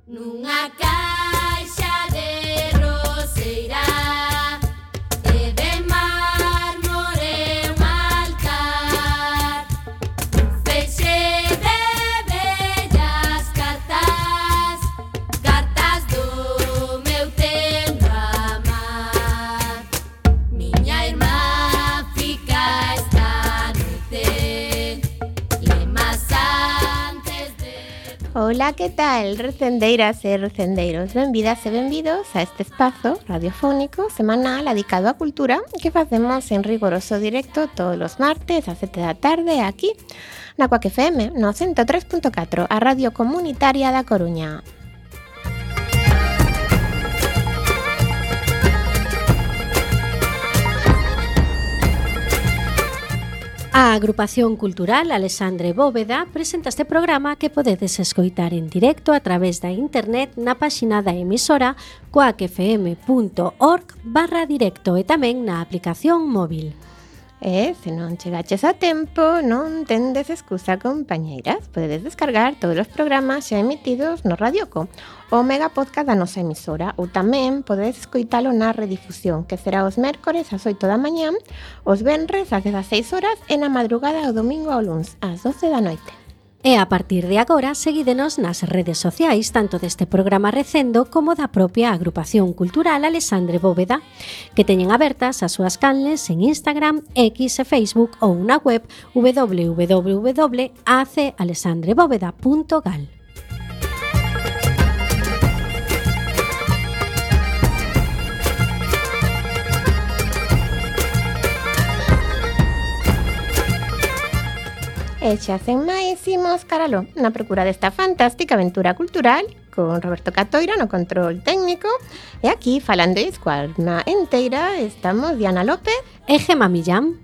Nunha caixa de roseira e de mármore un altar, un feixe de bellas cartas, cartas do meu tempo amar. Miña irmá fica esta noite, lemas antes de... Ola, que tal, recendeiras e recendeiros? Benvidas e benvidos a este espazo radiofónico semanal dedicado á cultura que facemos en rigoroso directo todos os martes a 7 da tarde aquí na Cuac FM no 103.4, a radio comunitaria da Coruña. A Agrupación Cultural Alexandre Bóveda presenta este programa que podedes escoitar en directo a través da internet na páxina da emisora coacfm.org/directo e tamén na aplicación móvil. E se non chegaches a tempo, non tendes excusa, compañeiras. Podedes descargar todos os programas xa emitidos no Radioco, o mega podcast da nosa emisora, ou tamén podedes escoitalo na redifusión, que será os mércores ás 8 da mañán, os venres ás 16 horas e na madrugada o domingo ao luns ás 12 da noite. E a partir de agora, seguídenos nas redes sociais, tanto deste programa Recendo como da propia Agrupación Cultural Alexandre Bóveda, que teñen abertas as súas canles en Instagram, X e Facebook ou na web www.acalexandrebóveda.gal. E xa sen máis, imos caralo na procura desta fantástica aventura cultural con Roberto Catoira no control técnico. E aquí, falando de escuadra enteira, estamos Diana López E Gema Millán.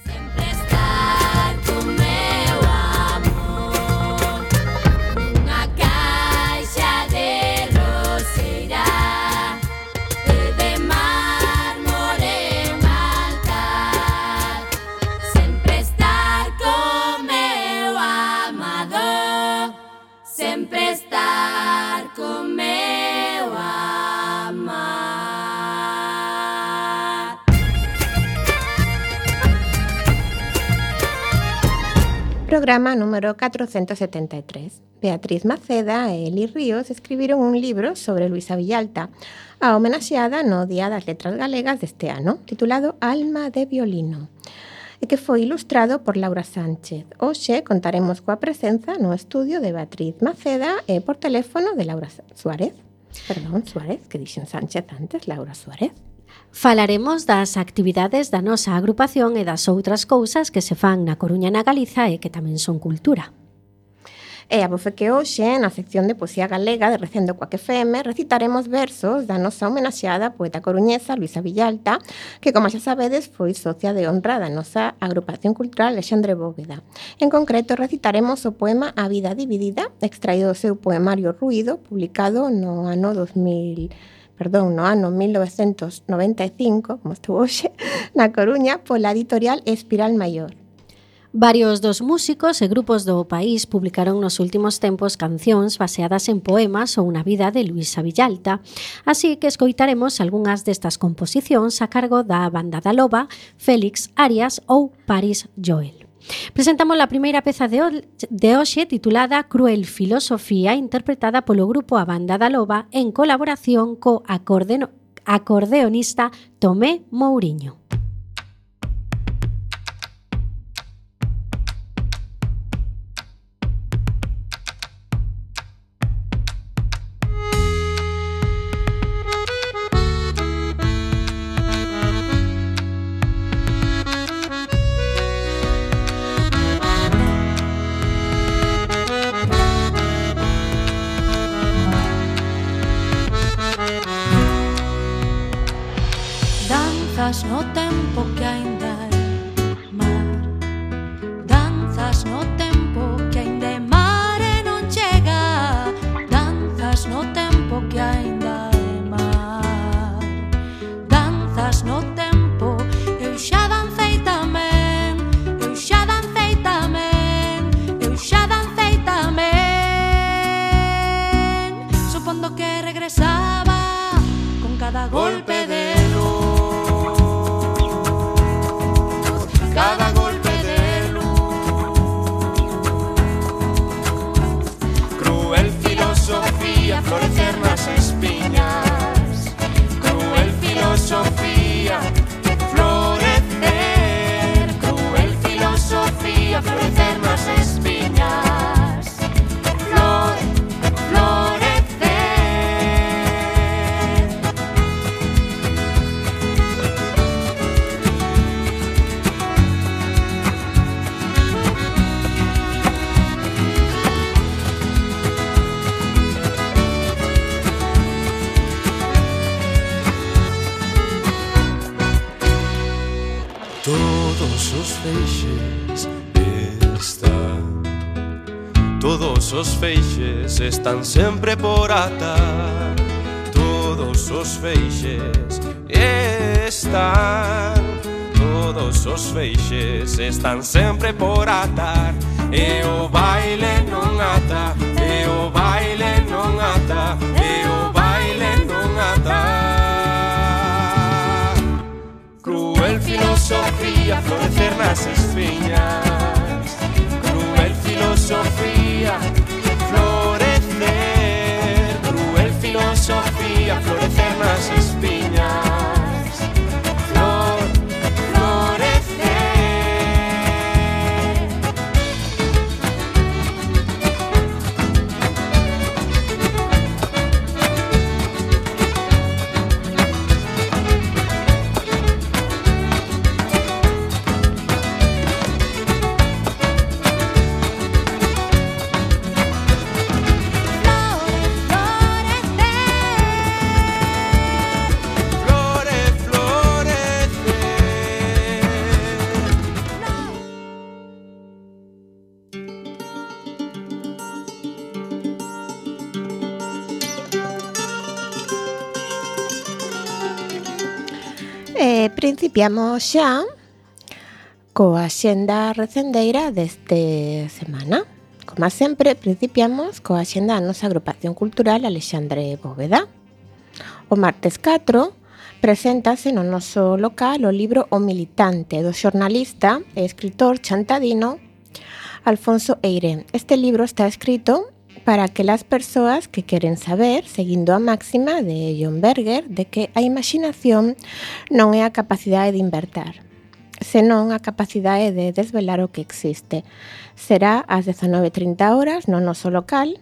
Sempre estar con meu amor, nunha caixa de roseira e de mármore un altar. Sempre estar con meu amado, sempre estar con meu amar. Programa número 473. Beatriz Maceda e Eli Ríos escribiron un libro sobre Luisa Villalta, a homenaxeada no Día das Letras Galegas deste ano, titulado Alma de violino, e que foi ilustrado por Laura Sánchez. Hoxe contaremos coa presenza no estudio de Beatriz Maceda e por teléfono de Laura Suárez. Perdón, Suárez, que dixen Sánchez antes, Laura Suárez. Falaremos das actividades da nosa agrupación e das outras cousas que se fan na Coruña e na Galiza e que tamén son cultura. E a bofe que hoxe, na sección de poesía galega de Recendo Cuac FM, recitaremos versos da nosa homenaxeada poeta coruñesa Luisa Villalta, que, como xa sabedes, foi socia de honra da nosa agrupación cultural Alexandre Bóveda. En concreto, recitaremos o poema A vida dividida, extraído do seu poemario Ruído, publicado no ano 1995, como estuvo hoxe, na Coruña, pola editorial Espiral Maior. Varios dos músicos e grupos do país publicaron nos últimos tempos cancións baseadas en poemas ou na vida de Luisa Villalta, así que escoitaremos algunhas destas composicións a cargo da Banda da Loba, Félix Arias ou Paris Joel. Presentamos a primeira peza de hoxe titulada Cruel Filosofía, interpretada polo grupo A Banda da Loba en colaboración co acordeonista Tomé Mouriño. Danzas no filosofía, florecer nas espiñas. Cruel filosofía, florecer. Cruel filosofía, florecer nas espiñas. Florecer. Todos os feixes están, todos os feixes están sempre por atar. Todos os feixes están, todos os feixes están sempre por atar. E o baile non ata, e o baile non ata, e o baile non ata. Cruel filosofía, florecer nas espiñas. Cruel filosofía, florecer. Cruel filosofía, florecer nas espiñas. Florecer. Principiamos xa coa xenda recendeira deste semana. Como sempre, principiamos coa xenda da nosa agrupación cultural Alexandre Bóveda. O martes 4 preséntase no noso local o libro O Militante, do xornalista e escritor chantadino Alfonso Eire. Este libro está escrito para aquelas persoas que queren saber, seguindo a máxima de John Berger, de que a imaginación non é a capacidade de inventar, senón a capacidade de desvelar o que existe. Será ás 19:30 horas no noso local,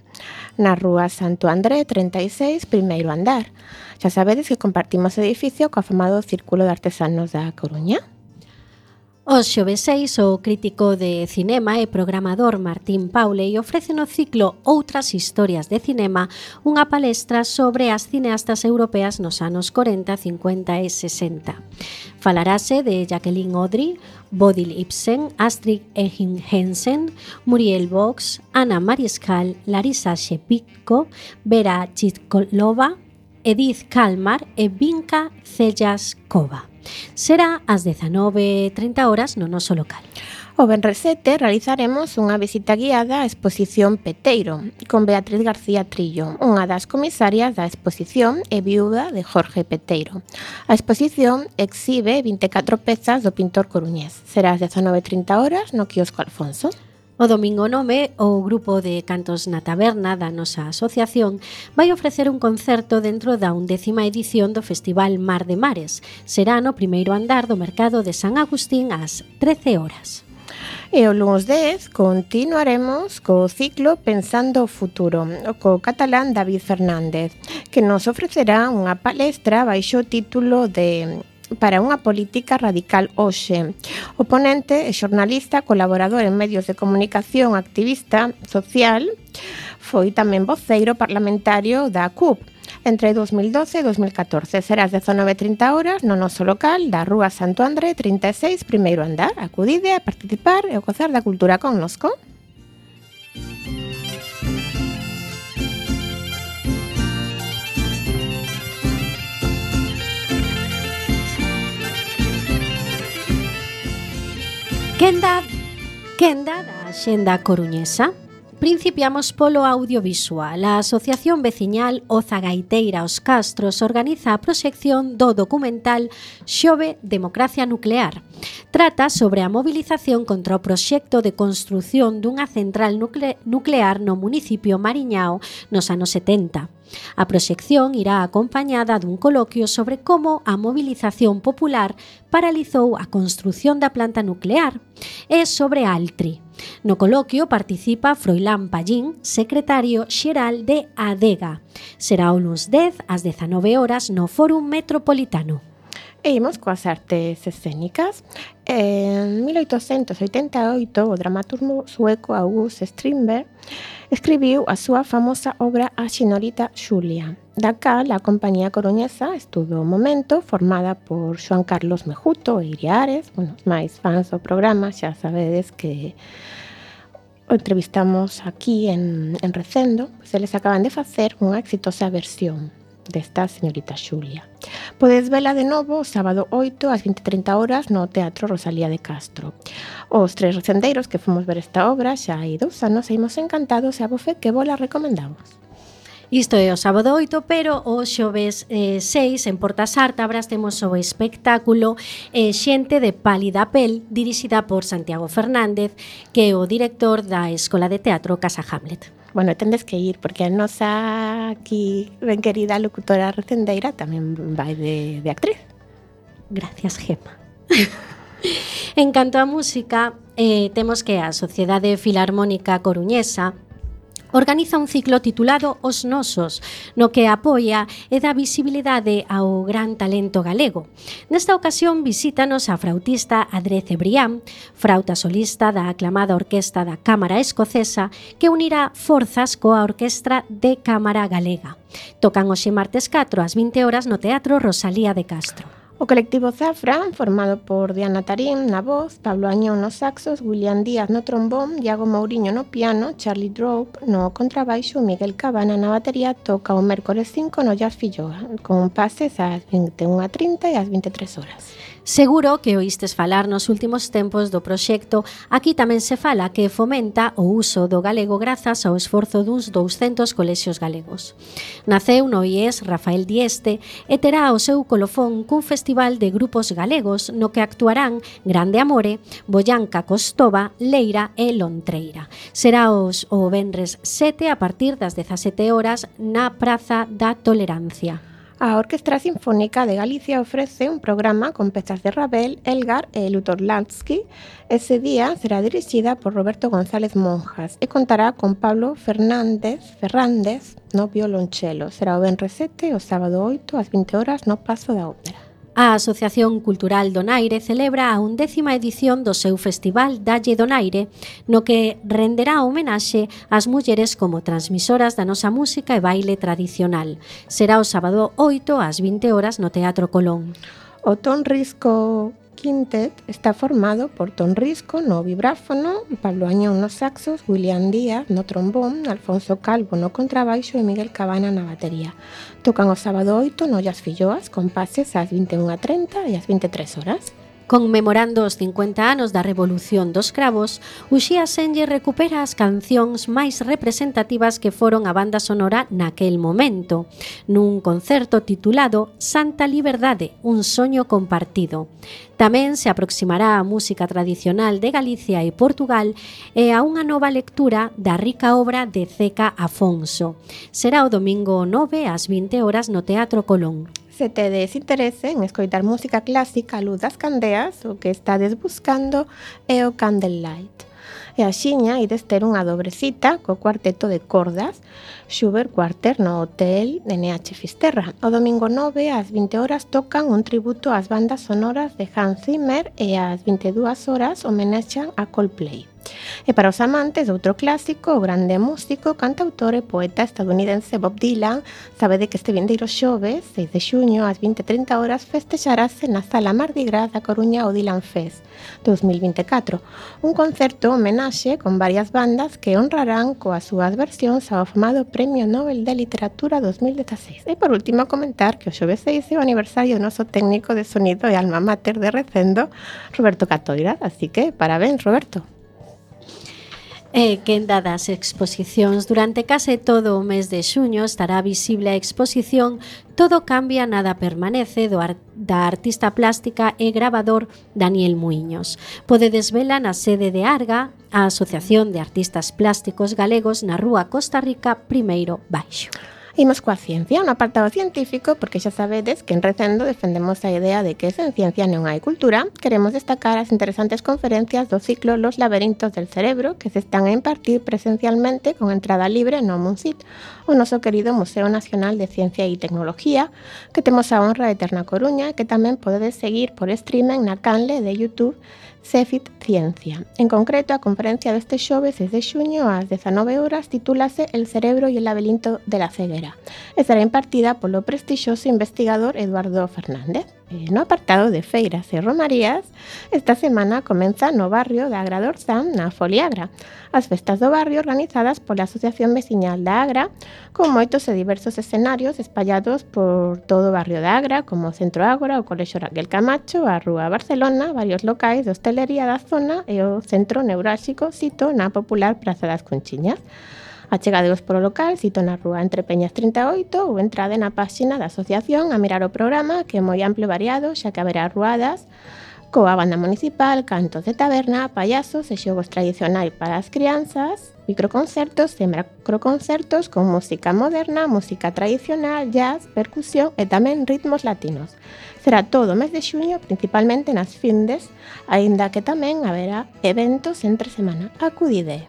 na rúa Santo André 36, primeiro andar. Xa sabedes que compartimos edificio co afamado Círculo de Artesanos da Coruña. Os xoves 6, o crítico de cinema e programador Martín Pauley ofrece no ciclo Outras historias de cinema unha palestra sobre as cineastas europeas nos anos 40, 50 e 60. Falarase de Jacqueline Audry, Bodil Ibsen, Astrid Hansen, Muriel Vox, Anna Mariscal, Larisa Shepitko, Vera Chitkolova, Edith Kalmar e Vinka Cellaskova. Será ás 19:30 horas no noso local. O venres 7 realizaremos unha visita guiada á exposición Peteiro con Beatriz García Trillo, unha das comisarias da exposición e viúda de Jorge Peteiro. A exposición exhibe 24 pezas do pintor coruñés. Será ás 19:30 horas no quiosco Alfonso. O domingo 9, o grupo de Cantos na Taberna da nosa asociación vai ofrecer un concerto dentro da 11ª edición do Festival Mar de Mares. Será no primeiro andar do Mercado de San Agustín ás 13 horas. E o lunes 10 continuaremos co ciclo Pensando o Futuro, co catalán David Fernández, que nos ofrecerá unha palestra baixo o título de Para unha política radical hoxe. O ponente é xornalista, colaborador en medios de comunicación, activista social, foi tamén voceiro parlamentario da CUP entre 2012 e 2014. Será ás 19:30 horas no noso local da Rúa Santo André 36, primeiro andar. Acudide a participar e a gozar da cultura connosco. Quenda da Axenda Coruñesa. Principiamos polo audiovisual. A Asociación Veciñal Oza Gaiteira Os Castros organiza a proxección do documental Xove Democracia Nuclear. Trata sobre a movilización contra o proxecto de construción dunha central nuclear no municipio Mariñao nos anos 70. A proxección irá acompañada dun coloquio sobre como a mobilización popular paralizou a construción da planta nuclear e sobre Altri. No coloquio participa Froilán Pallín, secretario xeral de ADEGA. Será o luns 10 ás 19 horas no Fórum Metropolitano. E imos coas artes escénicas. En 1888, o dramaturgo sueco August Strindberg escribiu a súa famosa obra A Señorita Xulia. Da cal, a compañía coruñesa estudo o momento, formada por Xoan Carlos Mejuto e Iria Ares. Bueno, os máis fans do programa xa sabedes que o entrevistamos aquí en Recendo, pois eles acaban de facer unha exitosa versión desta Señorita Xulia. Podes vela de novo o sábado 8 ás 20:30 horas no Teatro Rosalía de Castro. Os tres recendeiros que fomos ver esta obra xa hai 2 anos e imos encantados e a bofe que vola recomendamos. Isto é o sábado 8, pero o xoves 6 en Porta Sártabras temos o espectáculo Xente de pálida pel, dirixida por Santiago Fernández, que é o director da Escola de Teatro Casa Hamlet. Bueno, tendes que ir, porque a nosa aquí ben querida locutora recendeira tamén vai de actriz. Gracias, Gemma. En canto á música, temos que a Sociedade Filarmónica Coruñesa organiza un ciclo titulado Os Nosos, no que apoia e dá visibilidade ao gran talento galego. Nesta ocasión visítanos a flautista Adré Cebrián, frauta solista da aclamada Orquestra da Cámara Escocesa, que unirá forzas coa Orquestra de Cámara Galega. Tocan hoxe martes 4 ás 20 horas no Teatro Rosalía de Castro. O colectivo Zafra, formado por Diana Tarín na voz, Pablo Añón nos saxos, William Díaz no trombón, Iago Mouriño no piano, Charlie Drope no contrabaixo, Miguel Cabana na batería, toca o mércores 5 no Jazz Filloa, con pases ás 21:30 e ás 23 horas. Seguro que oístes falar nos últimos tempos do proxecto. Aquí tamén se fala que fomenta o uso do galego grazas ao esforzo duns 200 colexios galegos. Naceu no IES Rafael Dieste e terá o seu colofón cun festival de grupos galegos no que actuarán Grande Amore, Boyanca Costova, Leira e Lontreira. Será o venres 7 a partir das 17 horas na Praza da Tolerancia. A Orquestra Sinfónica de Galicia ofrece un programa con pezas de Ravel, Elgar e Lutoslansky. Ese día será dirixida por Roberto González Monjas e contará con Pablo Fernández no violonchelo. Será o venres 7 o sábado 8 ás 20 horas no Pazo da Ópera. A Asociación Cultural Donaire celebra a 11ª edición do seu festival Dalle Donaire, no que renderá homenaxe ás mulleres como transmisoras da nosa música e baile tradicional. Será o sábado 8 ás 20 horas no Teatro Colón. O Ton Risco Quintet está formado por Ton Risco no vibráfono, Pablo Añón nos saxos, William Díaz no trombón, Alfonso Calvo no contrabaixo e Miguel Cabana na batería. Tocan o sábado 8 no Jazz Filloas con pases ás 21:30 e ás 23 horas. Conmemorando os 50 anos da Revolución dos Cravos, Uxía Senlle recupera as cancións máis representativas que foron a banda sonora naquel momento, nun concerto titulado Santa Liberdade, un soño compartido. Tamén se aproximará a música tradicional de Galicia e Portugal e a unha nova lectura da rica obra de Zeca Afonso. Será o domingo 9 ás 20 horas no Teatro Colón. Se tedes interese en escoitar música clásica a luz das candeas, o que estades buscando é o Candlelight. E axiña ides ter unha dobre cita co cuarteto de cordas Schubert Quarter no Hotel NH Fisterra. O domingo 9 ás 20 horas tocan un tributo ás bandas sonoras de Hans Zimmer e ás 22 horas homenexan a Coldplay. E para os amantes de outro clásico, o grande músico, cantautor e poeta estadounidense Bob Dylan, sabede que este vindeiro xoves, 6 de xuño, ás 20:30 horas, festexarase na Sala Mardi Gras da Coruña o Dylan Fest 2024, un concerto homenaxe con varias bandas que honrarán coas súas versións ao afamado Premio Nobel de Literatura 2016. E por último, comentar que o xoves 6 é o aniversario do noso técnico de sonido e alma mater de Recendo, Roberto Catoira, así que parabéns, Roberto. E que dadas exposicións durante case todo o mes de xuño estará visible a exposición Todo cambia, nada permanece da artista plástica e gravador Daniel Muiños. Podedes vela na sede de Arga, a Asociación de Artistas Plásticos Galegos na Rúa Costa Rica, primeiro baixo. Imos coa ciencia, un apartado científico, porque xa sabedes que en Recendo defendemos a idea de que sen ciencia non hai cultura. Queremos destacar as interesantes conferencias do ciclo Los laberintos del cerebro que se están a impartir presencialmente con entrada libre no MUNSIT, o noso querido Museo Nacional de Ciencia e Tecnología, que temos a honra de ter na Coruña, que tamén podedes seguir por streaming na canle de YouTube Cefit Ciencia. En concreto, a conferencia deste xoves 6 de xuño ás 19 horas titúlase El cerebro y el laberinto de la ceguera e será impartida polo prestixioso investigador Eduardo Fernández. No apartado de feiras e romarías, esta semana comeza no barrio da Agra d'Orzán, na Foliagra, as festas do barrio organizadas pola Asociación Veciñal da Agra, con moitos e diversos escenarios espallados por todo o barrio da Agra, como o Centro Ágora, o Colexio Raquel Camacho, a Rúa Barcelona, varios locais de hostelería da zona e o centro neurálxico sito na popular Praza das Conchiñas. Achegadeos polo local, sito na rúa Entre Peñas 38 ou entrade na páxina da asociación a mirar o programa, que é moi amplio e variado, xa que haberá ruadas coa banda municipal, cantos de taberna, payasos e xogos tradicionais para as crianzas, microconcertos e macroconcertos con música moderna, música tradicional, jazz, percusión e tamén ritmos latinos. Será todo o mes de xuño, principalmente nas findes, aínda que tamén haberá eventos entre semana. Acudide!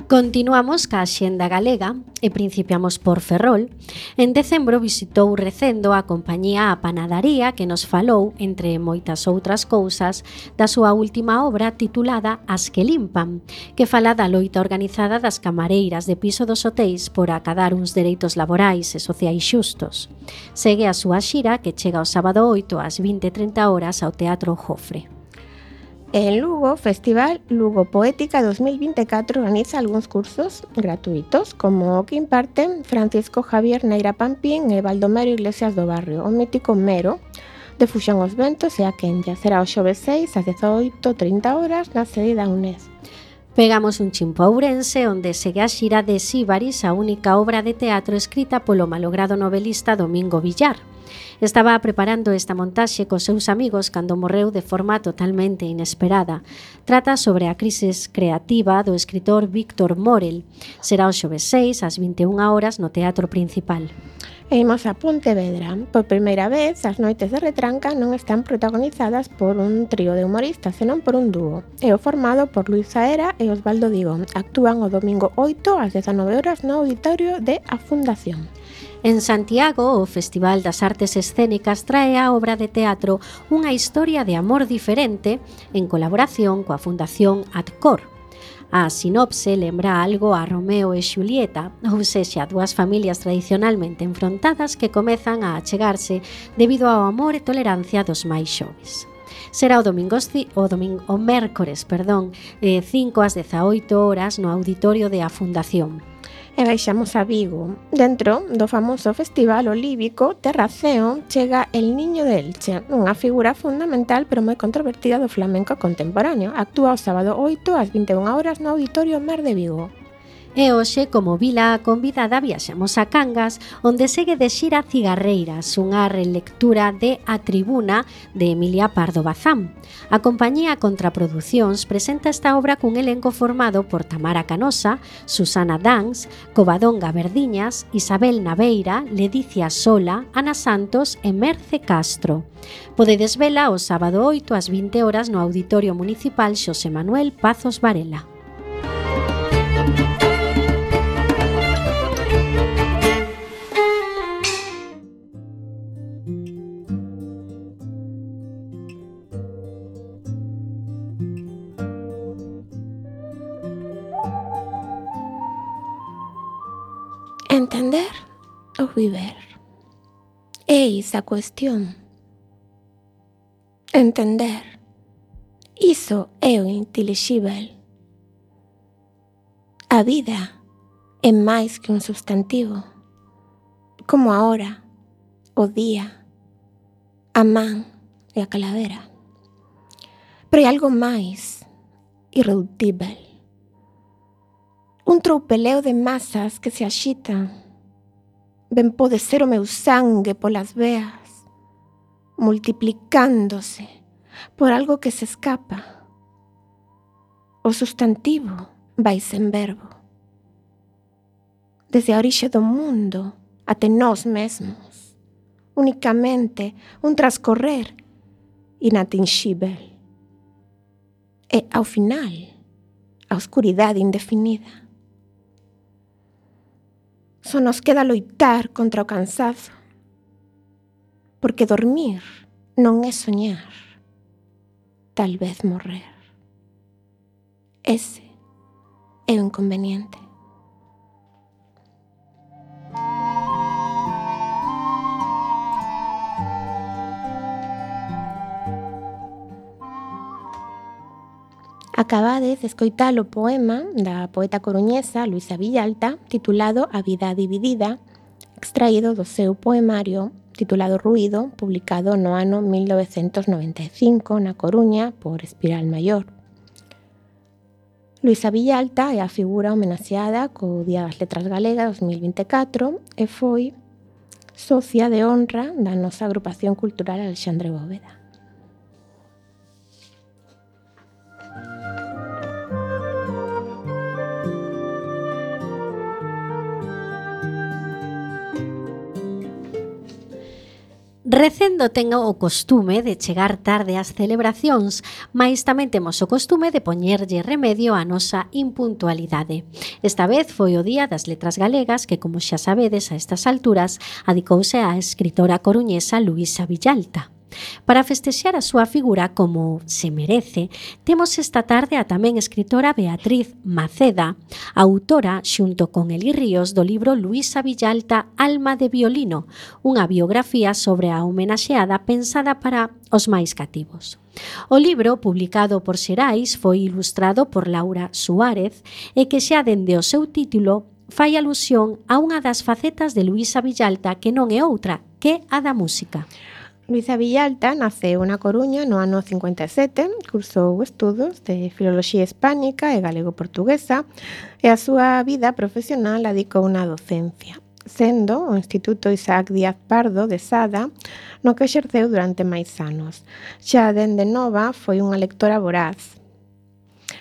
Continuamos ca Axenda Galega e principiamos por Ferrol. En decembro visitou Recendo a compañía A Panadaría, que nos falou, entre moitas outras cousas, da súa última obra titulada As que limpan, que fala da loita organizada das camareiras de piso dos hotéis por acadar uns dereitos laborais e sociais xustos. Segue a súa xira, que chega o sábado 8 ás 20:30 horas ao Teatro Jofre. En Lugo, Festival Lugo Poética 2024 organiza algúns cursos gratuitos, como o que imparten Francisco Javier Neira Pampín e Baldomero Iglesias do Barrio, o mítico Mero, de Fuxón os Ventos e a Quenlla. Será o xoves 6 ás 18:30 horas na sede da UNED. Pegamos un chimpo a Ourense, onde segue a xira de Síbaris, a única obra de teatro escrita polo malogrado novelista Domingo Villar. Estaba preparando esta montaxe cos seus amigos cando morreu de forma totalmente inesperada. Trata sobre a crisis creativa do escritor Víctor Morel. Será o xoves 6 ás 21 horas no Teatro Principal. E imos a Pontevedra. Por primeira vez, as noites de Retranca non están protagonizadas por un trío de humoristas, senón por un dúo. É o formado por Luis Saera e Osvaldo Digón. Actúan o domingo 8 ás 19 horas no auditorio de A Fundación. En Santiago, o Festival das Artes Escénicas trae a obra de teatro Unha historia de amor diferente en colaboración coa Fundación Adcor. A sinopse lembra algo a Romeo e Xulieta, ou sexa, dúas familias tradicionalmente enfrontadas que comezan a achegarse debido ao amor e tolerancia dos máis xoves. Será o mércores, 5 ás 18 horas no auditorio de A Fundación. E baixamos a Vigo. Dentro do famoso festival olívico Terraceo chega El Niño de Elche, unha figura fundamental pero moi controvertida do flamenco contemporáneo. Actúa o sábado 8 ás 21 horas no Auditorio Mar de Vigo. E hoxe, como vila convidada, viaxamos a Cangas, onde segue de xira Cigarreiras, unha relectura de A Tribuna de Emilia Pardo Bazán. A compañía Contraproducións presenta esta obra cun elenco formado por Tamara Canosa, Susana Dans, Covadonga Verdiñas, Isabel Naveira, Ledicia Sola, Ana Santos e Merce Castro. Podedes vela o sábado 8 ás 20 horas no Auditorio Municipal Xosé Manuel Pazos Varela. Entender ou viver? Eis a cuestión. Entender. Iso é o intelixíbel. A vida é máis que un substantivo, como a hora, o día, a man e a calavera. Pero hai algo máis irredutível. Un troupeleo de masas que se axitan. Ben pode ser o meu sangue polas veas, multiplicándose, por algo que se escapa. O substantivo vai sen verbo. Desde a orixe do mundo até nós mesmos, unicamente un transcorrer inatinxível. E, ao final, a oscuridade indefinida. Só nos queda loitar contra o cansazo, porque dormir non é soñar, tal vez morrer. Ese é o inconveniente. Acabades de escoitar o poema da poeta coruñesa Luisa Villalta titulado A vida dividida, extraído do seu poemario titulado Ruído, publicado no ano 1995 na Coruña por Espiral Maior. Luisa Villalta é a figura homenaxeada co Día das Letras Galegas 2024 e foi socia de honra da nosa agrupación cultural Alexandre Bóveda. Recendo ten o costume de chegar tarde ás celebracións, mais tamén temos o costume de poñerlle remedio á nosa impuntualidade. Esta vez foi o Día das Letras Galegas que, como xa sabedes a estas alturas, adicouse á escritora coruñesa Luisa Villalta. Para festexar a súa figura como se merece, temos esta tarde a tamén escritora Beatriz Maceda, autora, xunto con Eli Ríos, do libro Luisa Villalta, Alma de violino, unha biografía sobre a homenaxeada pensada para os máis cativos. O libro, publicado por Xerais, foi ilustrado por Laura Suárez e que xa dende o seu título fai alusión a unha das facetas de Luisa Villalta que non é outra que a da música. Luisa Villalta naceu na Coruña no ano 57, cursou estudos de Filoloxía Hispánica e Galego-Portuguesa e a súa vida profesional a dedicou na docencia, sendo o Instituto Isaac Díaz Pardo de Sada, no que exerceu durante máis anos. Xa dende nova foi unha lectora voraz,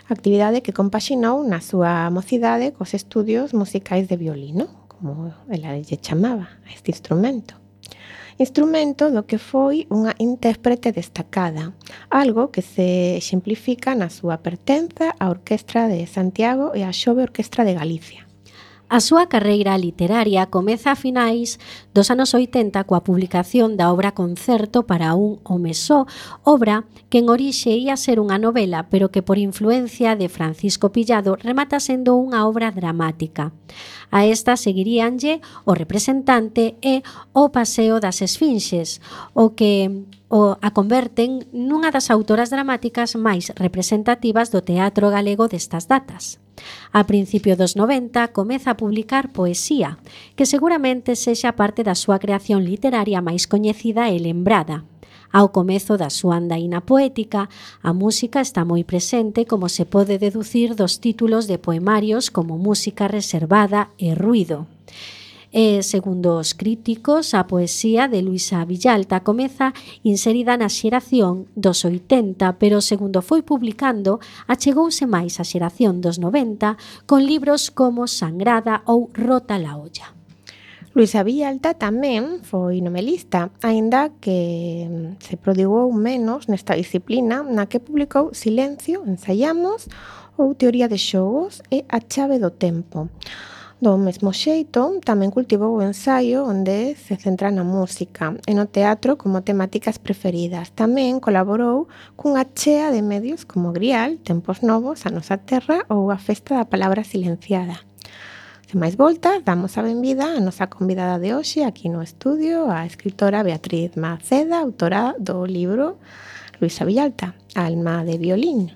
actividade que compaxinou na súa mocidade cos estudios musicais de violino, como ela lle chamaba a este instrumento. Instrumento do que foi unha intérprete destacada, algo que se exemplifica na súa pertenza á Orquestra de Santiago e á Xove Orquestra de Galicia. A súa carreira literaria comeza a finais dos anos 80 coa publicación da obra Concerto para un home só, obra que en orixe ia ser unha novela, pero que por influencia de Francisco Pillado remata sendo unha obra dramática. A esta seguiríanlle O representante e O paseo das esfinxes, o que a converten nunha das autoras dramáticas máis representativas do teatro galego destas datas. A principio dos 90 comeza a publicar poesía, que seguramente sexa parte da súa creación literaria máis coñecida e lembrada. Ao comezo da súa andaína poética, a música está moi presente, como se pode deducir dos títulos de poemarios como Música reservada e Ruído. E, segundo os críticos, a poesía de Luisa Villalta comeza inserida na xeración dos 80, pero segundo foi publicando, achegouse máis a xeración dos 90 con libros como Sangrada ou Rota la olla. Luisa Villalta tamén foi novelista, aínda que se prodigou menos nesta disciplina na que publicou Silencio, Ensaiamos ou Teoría de xogos e A chave do tempo. Do mesmo xeito, tamén cultivou o ensaio onde se centra na música e no teatro como temáticas preferidas. Tamén colaborou cunha chea de medios como Grial, Tempos Novos, A Nosa Terra ou A Festa da Palabra Silenciada. Sen máis voltas, damos a benvida a nosa convidada de hoxe aquí no estudio, a escritora Beatriz Maceda, autora do libro Luisa Villalta, Alma de violín.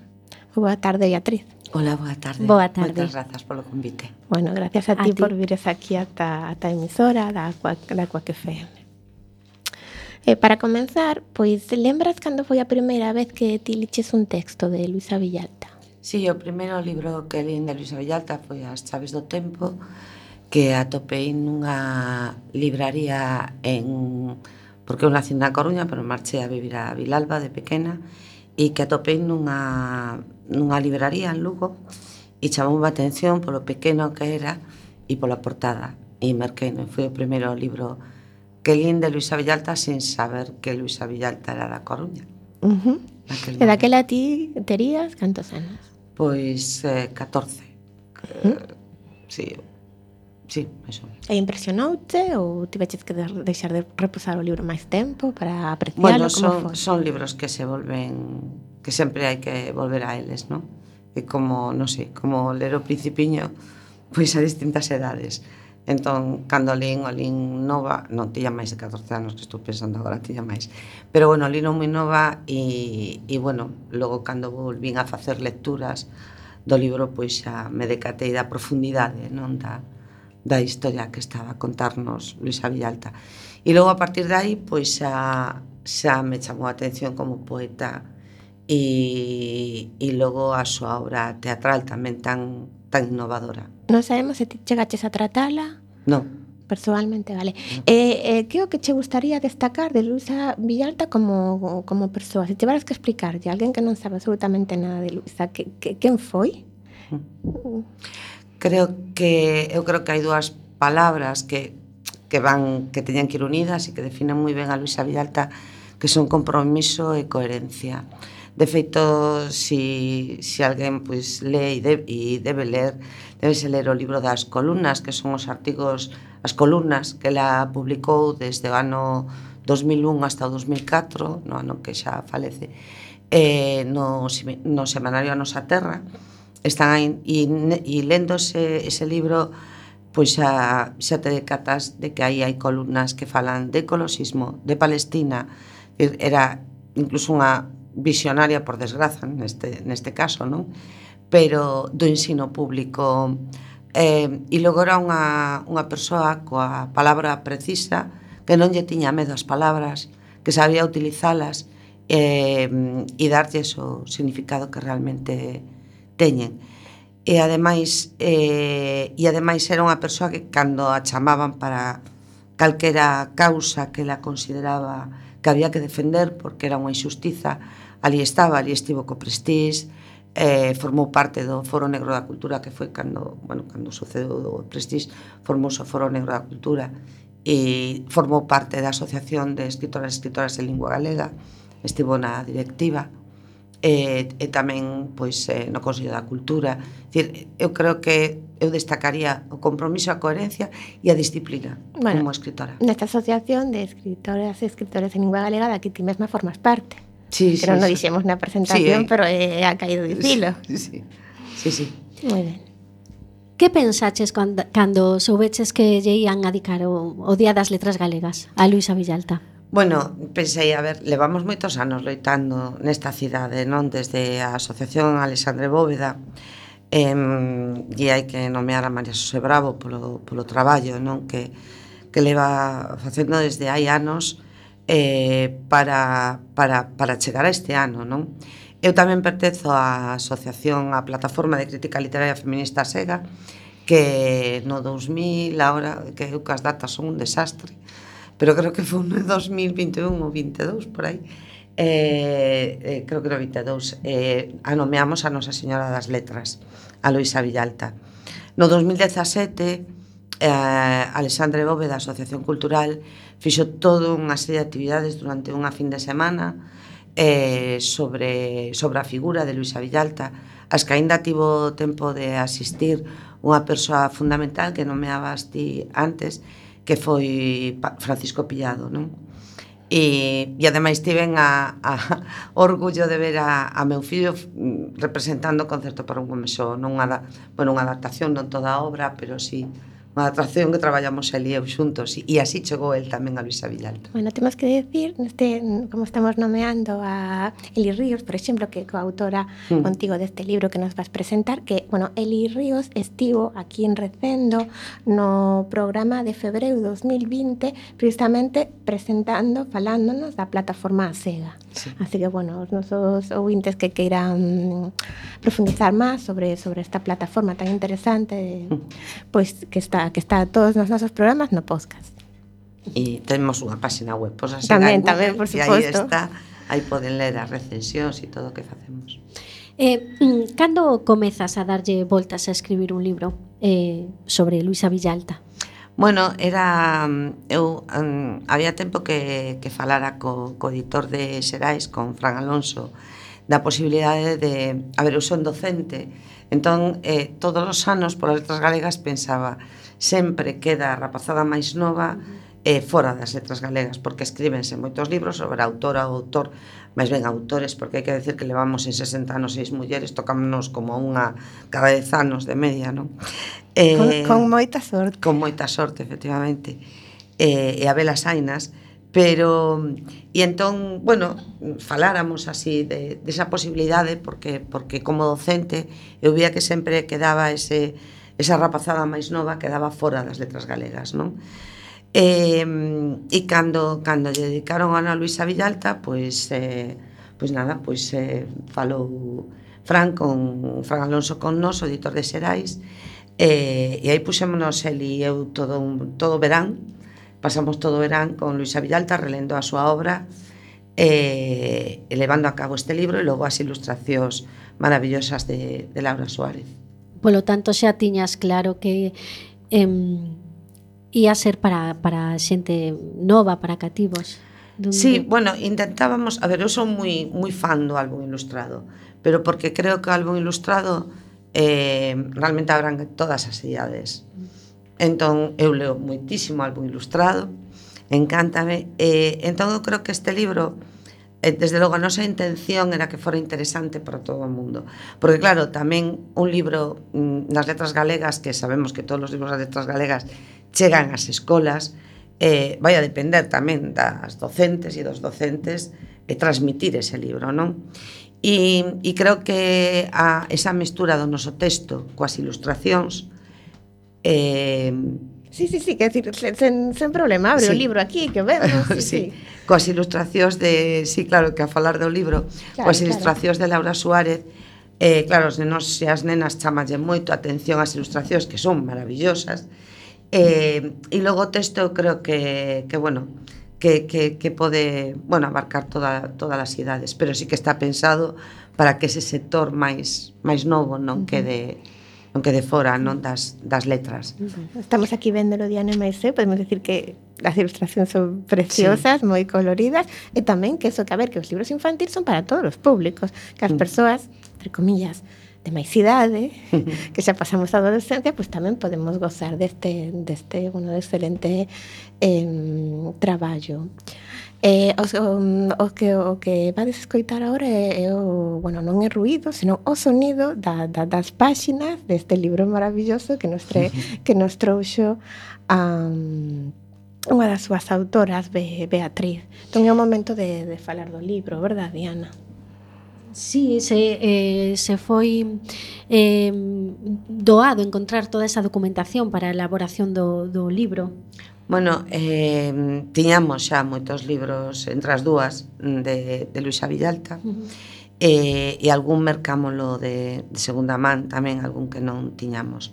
Boa tarde, Beatriz. Hola, boa tarde. Boa tarde. Moitas grazas polo convite. Bueno, gracias a ti por vires aquí ata a emisora da Cuac FM. Para comenzar, pois lembras cando foi a primeira vez que ti liches un texto de Luisa Villalta? Sí, o primeiro libro que lín de Luisa Villalta foi As chaves do tempo, que atopei nunha libraría en porque eu nací na Coruña, pero marchei a vivir a Vilalba de pequena, e que atopei nunha libraría en Lugo, e chamou a atención polo pequeno que era e pola portada, e merqueino. Foi o primeiro libro que lín de Luisa Villalta sin saber que Luisa Villalta era da Coruña. E daquela ti terías cantos anos? Pois 14. Sí, eso. E impresionoute ou tiveches que deixar de reposar o libro máis tempo para aprecialo? Bueno, son libros que se volven, que sempre hai que volver a eles, non? E como, non sei, como ler o Principiño, pois a distintas edades. Entón, cando lín nova, non tiña máis de 14 anos, que estou pensando agora, tiña máis. Pero, bueno, lín moi nova e, bueno, logo cando volvín a facer lecturas do libro, pois xa me decatei da profundidade, non da historia que estaba a contarnos Luisa Villalta. E logo, a partir de aí, pois xa me chamou a atención como poeta e logo a súa obra teatral tamén tan innovadora. Non sabemos se ti chegaches a tratala. Non. Persoalmente, vale. Que é o que che gustaría destacar de Luisa Villalta como persoa? Se tiveras que explicarlle a alguén que non sabe absolutamente nada de Luisa, quen foi? Eu creo que hai dúas palabras que teñen que ir unidas e que definen moi ben a Luisa Villalta, que son compromiso e coherencia. De feito, si alguén pois lee e debe ler o libro das columnas, que son os artigos, as columnas que ela publicou desde o ano 2001 hasta o 2004, no ano que xa falece, no semanario A Nosa Terra. Están aí, e lendo ese libro, pois xa te decatas de que aí hai columnas que falan de ecoloxismo, de Palestina. Era incluso unha visionaria, por desgraza, neste caso, non? Pero do ensino público, e logo era unha persoa coa palabra precisa, que non lle tiña medo ás palabras, que sabía utilizalas e darlles o significado que realmente teñen. E ademais era unha persoa que cando a chamaban para calquera causa que ela consideraba que había que defender porque era unha injustiza, ali estivo co Prestige, formou parte do Foro Negro da Cultura, que foi cando sucedeu o Prestige, formouse o Foro Negro da Cultura, e formou parte da Asociación de Escritoras e Escritoras de Lingua Galega, estivo na directiva, e tamén pois no Consello da Cultura. Dicir, eu creo que eu destacaría o compromiso, a coherencia e a disciplina como escritora. Nesta asociación de escritoras e escritores en lingua galega da que ti mesma formas parte. Sí, que non o dixemos na presentación, pero ha caído dicilo. Sí. Moi ben. Que pensaches cando soubeches que lle ian a dedicar o Día das Letras Galegas a Luisa Villalta? Bueno, pensei, a ver, levamos moitos anos loitando nesta cidade, non? Desde a Asociación Alexandre Bóveda, e hai que nomear a María Xosé Bravo polo traballo, non? Que leva facendo desde hai anos para chegar a este ano, non? Eu tamén pertenzo á asociación, á Plataforma de Crítica Literaria Feminista SEGA, que no 2000, agora, que eu que as datas son un desastre, pero creo que foi no 2021 ou 22, por aí, creo que no 22, anomeamos a Nosa Señora das Letras, a Luisa Villalta. No 2017, Alexandre Bóveda, Asociación Cultural, fixo toda unha serie de actividades durante unha fin de semana sobre a figura de Luisa Villalta, as que aínda tivo tempo de asistir unha persoa fundamental que nomeabas ti antes, que foi Francisco Pillado, non? E ademais tiven a orgullo de ver a meu fillo representando o Concerto para un home só, non unha adaptación, non toda a obra, pero sí unha adaptación que traballamos el e eu xuntos, e así chegou el tamén a Luisa Villalta. Bueno, temos que decir, como estamos nomeando a Eli Ríos, por exemplo, que é coautora contigo deste libro que nos vas presentar, que, Eli Ríos estivo aquí en Recendo no programa de febreiro 2020, precisamente falándonos da plataforma SEGA. Sí. Así que, os nosos ouvintes que queiran profundizar máis sobre esta plataforma tan interesante, pois que está todos nos nosos programas no podcast. E temos unha páxina web, pois así Tamén, Google, por e aí suposto. está, aí poden ler as recensións e todo o que facemos. Cando comezas a darlle voltas a escribir un libro sobre Luisa Villalta? Bueno, era eu había tempo que falara co editor de Xerais, con Fran Alonso, da posibilidade de, a ver, eu son docente, entón todos os anos polas letras galegas pensaba, sempre queda a rapazada máis nova fora das letras galegas, porque escríbense moitos libros sobre autora ou autor, máis ben autores, porque hai que decir que levamos en 60 anos 6 mulleres, tocámonos como unha cada 10 anos de media, non? Con moita sorte. Con moita sorte, efectivamente, e a velas ainas, pero e entón, bueno, faláramos así de esa posibilidade porque como docente eu vía que sempre quedaba esa rapazada máis nova quedaba fora das letras galegas, non? E cando lle dedicaron a Ana Luisa Villalta, pois falou Fran Alonso con nós, o editor de Xerais, e aí puxémonos el e eu todo verán, pasamos todo verán con Luisa Villalta relendo a súa obra e levando a cabo este libro e logo as ilustracións maravillosas de Laura Suárez. Polo tanto, xa tiñas claro que ia ser para xente nova, para cativos. Sí, bueno, intentábamos, a ver, eu son moi fan do álbum ilustrado, pero porque creo que o álbum ilustrado realmente abrangue todas as idades. Entón, eu leo moitísimo álbum ilustrado, encántame, entón eu creo que este libro, desde logo a nosa intención era que fora interesante para todo o mundo, porque claro, tamén un libro nas letras galegas, que sabemos que todos os libros das letras galegas chegan ás escolas, vai a depender tamén das docentes e dos docentes transmitir ese libro, non? E creo que esa mestura do noso texto coas ilustracións Sí, quer decir, sen problema, abre o libro aquí, que vemos. Sí. Coas ilustracións sí, claro, que a falar do libro, coas ilustracións de Laura Suárez, claro, os nenos e as nenas chamalle moito a atención as ilustracións, que son maravillosas, e logo o texto eu creo que pode, bueno, abarcar todas as idades, pero sí que está pensado para que ese sector máis novo non quede fora, non das letras. Estamos aquí vendelo Diana e Maisé, podemos decir que as ilustracións son preciosas, moi coloridas, e tamén que eso que, a ver, que os libros infantiles son para todos os públicos, que as persoas, entre comillas, de máis idade, que xa pasamos a adolescencia, pues tamén podemos gozar deste excelente traballo. O que vades escoitar agora bueno, non é ruído, senón o sonido das páxinas deste libro maravilloso que nos trouxo unha das súas autoras, Beatriz. Entón é o momento de falar do libro, verdad, Diana? Sí, se foi doado encontrar toda esa documentación para a elaboración do libro. Bueno, tiñamos xa moitos libros entre as dúas de Luisa Villalta, e algún mercámolo de segunda man, tamén algún que non tiñamos.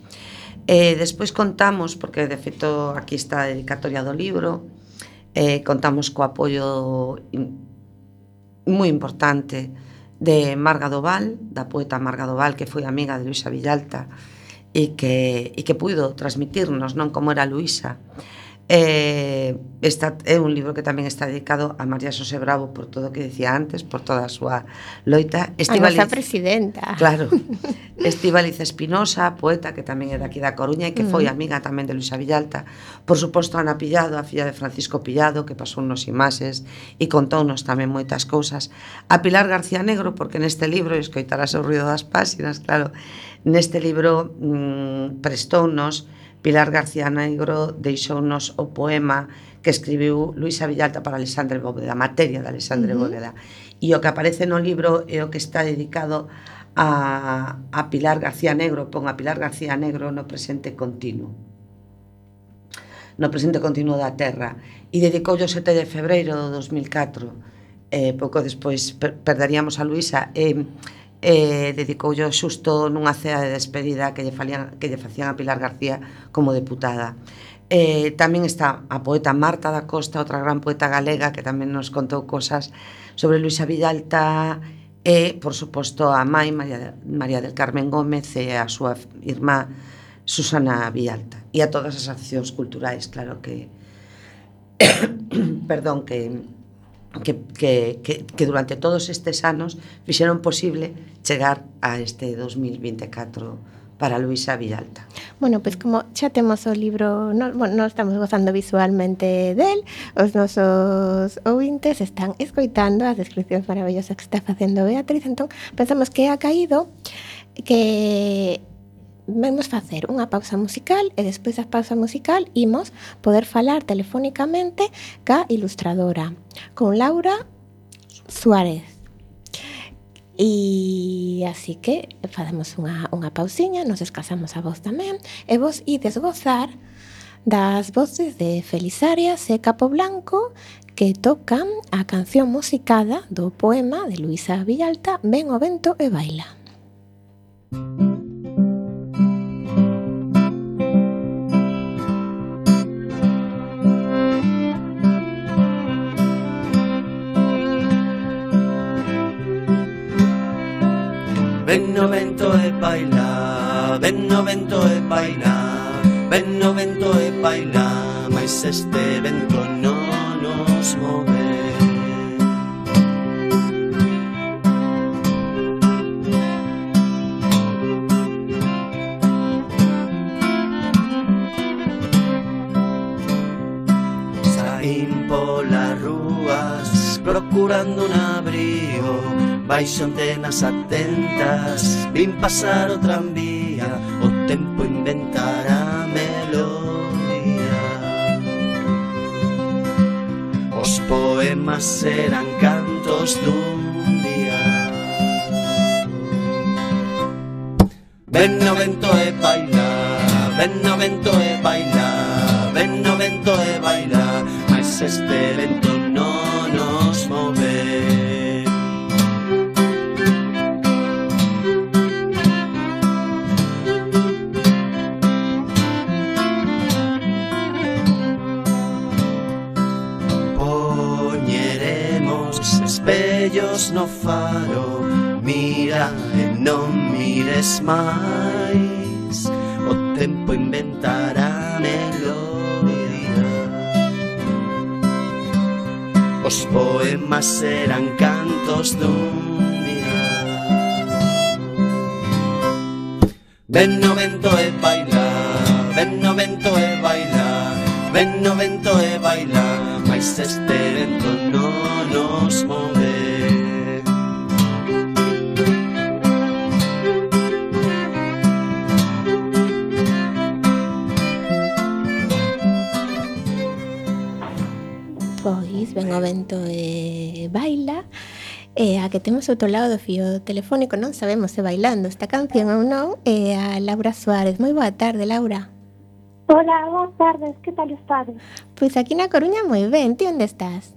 Despois contamos, porque de feito aquí está a dedicatoria do libro, contamos co apoio moi importante de Marga Doval, da poeta Marga Doval, que foi amiga de Luisa Villalta e que puido transmitirnos non como era Luisa. Esta é un libro que tamén está dedicado a María Xosé Bravo por todo o que decía antes, por toda a súa loita. A nosa presidenta. Claro. Estíbaliz Espinosa, poeta que tamén é daqui da Coruña e que foi amiga tamén de Luisa Villalta. Por suposto, Ana Pillado, a filla de Francisco Pillado, que pasou nos imaxes e contounos tamén moitas cousas. A Pilar García Negro, porque neste libro, e escoitarás o ruido das páxinas, claro, neste libro prestounos Pilar García Negro, deixounos o poema que escribiu Luisa Villalta para Alexandre Bóveda, materia de Alexandre Bóveda. E o que aparece no libro é o que está dedicado a Pilar García Negro, pon a Pilar García Negro no presente continuo. No presente continuo da Terra. E dedicou o 7 de febreiro de 2004. Pouco despois perderíamos a Luisa dedicoulle xusto nunha cea de despedida que lle facían a Pilar García como deputada. Tamén está a poeta Marta da Costa, outra gran poeta galega que tamén nos contou cosas sobre Luisa Villalta, e, por suposto, a mai María del Carmen Gómez e a súa irmá Susana Villalta, e a todas as accións culturais, claro que perdón, que durante todos estes anos fixeron posible chegar a este 2024 para Luisa Villalta. Bueno, pois como xa temos o libro, non estamos gozando visualmente del, os nosos ouvintes están escoitando as descripcións maravillosas que está facendo Beatriz, entón pensamos que ha caído que vamos facer unha pausa musical e despois da pausa musical imos poder falar telefónicamente ca ilustradora, con Laura Suárez. E así que facemos unha pausiña, nos descansamos a voz tamén, e vos ides gozar das voces de Felizarias e Capoblanco que tocan a canción musicada do poema de Luisa Villalta, Ven o vento e baila. Ven no vento e baila, ven no vento e baila, ven no vento e baila, mais este vento non nos move. Saín polas rúas procurando un abrigo, baixo antenas atentas, vin pasar o tranvía, o tempo inventará melodía. Os poemas serán cantos dun día. Ven no vento e baila, ven no vento e baila, ven no vento e baila, mas este vento non nos move. Espellos no faro, mira e non mires máis, o tempo inventará melodía. Os poemas serán cantos dun día. Ven no vento e baila, ven no vento e baila, ven no vento e baila, mais este vento non nos move. Pois ven o vento e baila, e a que temos outro lado do fío telefónico, non sabemos se bailando esta canción ou non, é a Laura Suárez. Moi boa tarde, Laura. Hola, boas tardes, que tal estades? Pois aquí na Coruña moi ben, ti onde estás?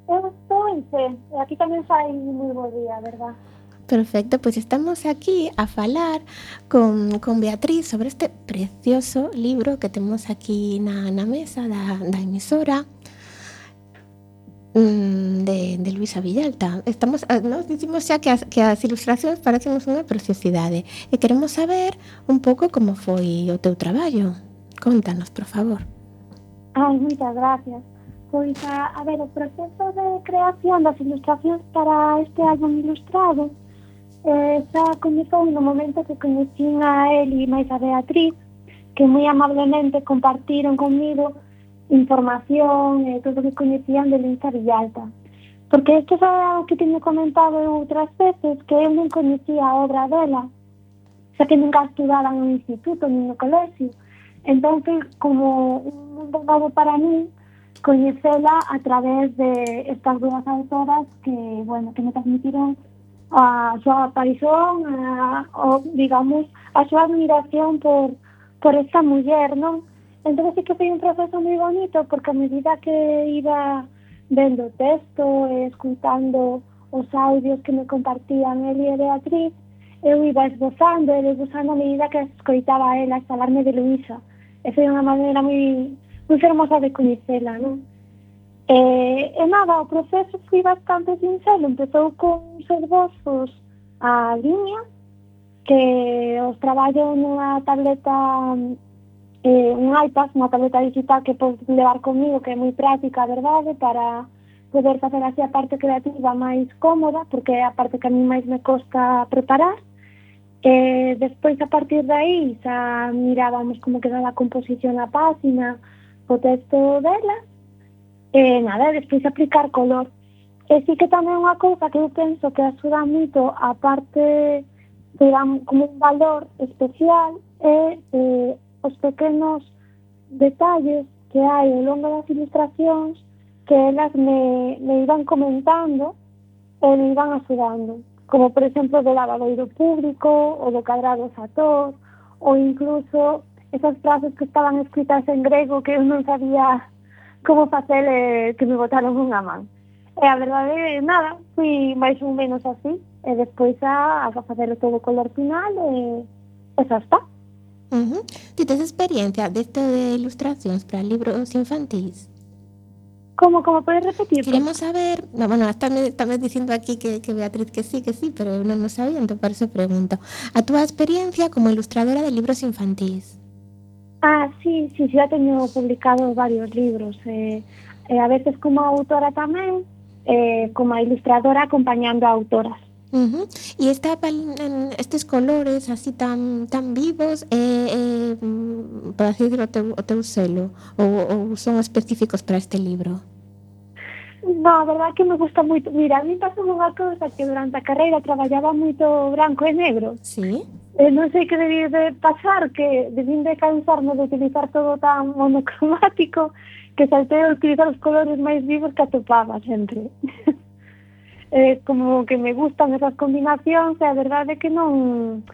Eu estou en Fe, e aquí tamén fai moi bo día, verdad? Perfecto, pois estamos aquí a falar con Beatriz sobre este precioso libro que temos aquí na mesa da emisora de Luisa Villalta. Nos dicimos xa que as ilustracións parecemos unha preciosidade e queremos saber un pouco como foi o teu traballo. Contanos, por favor. Ai, moitas gracias. Pois, a ver, o proceso de creación das ilustracións para este álbum ilustrado xa comezou no momento que coñecín a él e máis a Beatriz, que moi amablemente compartiron comigo información e todo o que coñecían de Luisa Villalta. Porque isto é algo que teño comentado outras veces, que eu non coñecía a obra dela, xa que nunca estudara no instituto nin no colexio. Entón, como un mundo novo para mí, coñecela a través de estas dúas autoras que, bueno, que me transmitiron a súa aparición, digamos, a súa admiración por esta muller, non? Entón, sí que foi un proceso moi bonito, porque a medida que iba vendo o texto e escutando os audios que me compartían el e Beatriz, eu iba esbozando a medida que escoitaba a ela falarme de Luisa. foi unha maneira moi fermosa de coñecela, non? E nada, o proceso foi bastante sincero. Empezou con uns esbozos a liña, que os traballo nunha tableta, un iPad, unha tableta digital que podes levar comigo, que é moi práctica, a verdade, para poder facer así a parte creativa máis cómoda, porque é a parte que a mí máis me costa preparar. E despois, a partir de aí, xa mirábamos como quedaba a composición na página, o texto dela, e nada, despois aplicar color. E sí que tamén unha cousa que eu penso que axuda moito, a parte de como un valor especial, é os pequenos detalles que hai ao longo das ilustracións, que elas me iban comentando e me iban axudando, como por exemplo do lavadoiro público, ou do cadrado sator, ou incluso esas frases que estaban escritas en grego que eu non sabía como facer, que me botaron unha man. E a verdade, nada, fui máis ou menos así, e despois a facer todo o color final, e xa está. Ti tes experiencia deste de ilustracións para libros infantís? Como podes repetir? Queremos saber, no, bueno, estamos dicindo aquí que Beatriz que sí, pero eu non o sabía, entón por eso pregunto. A túa experiencia como ilustradora de libros infantís? Sí, já teño publicado varios libros, a veces como autora tamén, como ilustradora acompañando a autoras. E estes colores así tan vivos, por así decirlo, o teu selo, ou son específicos para este libro? No, a verdade que me gusta moito. Mira, a mí pasou unha cousa que durante a carreira traballaba moito branco e negro. Sí. Non sei que debí de pasar, que debín de cansarme de utilizar todo tan monocromático, que saltei a utilizar os colores máis vivos que atopaba sempre. Como que me gustan esas combinacións, e a verdade é que non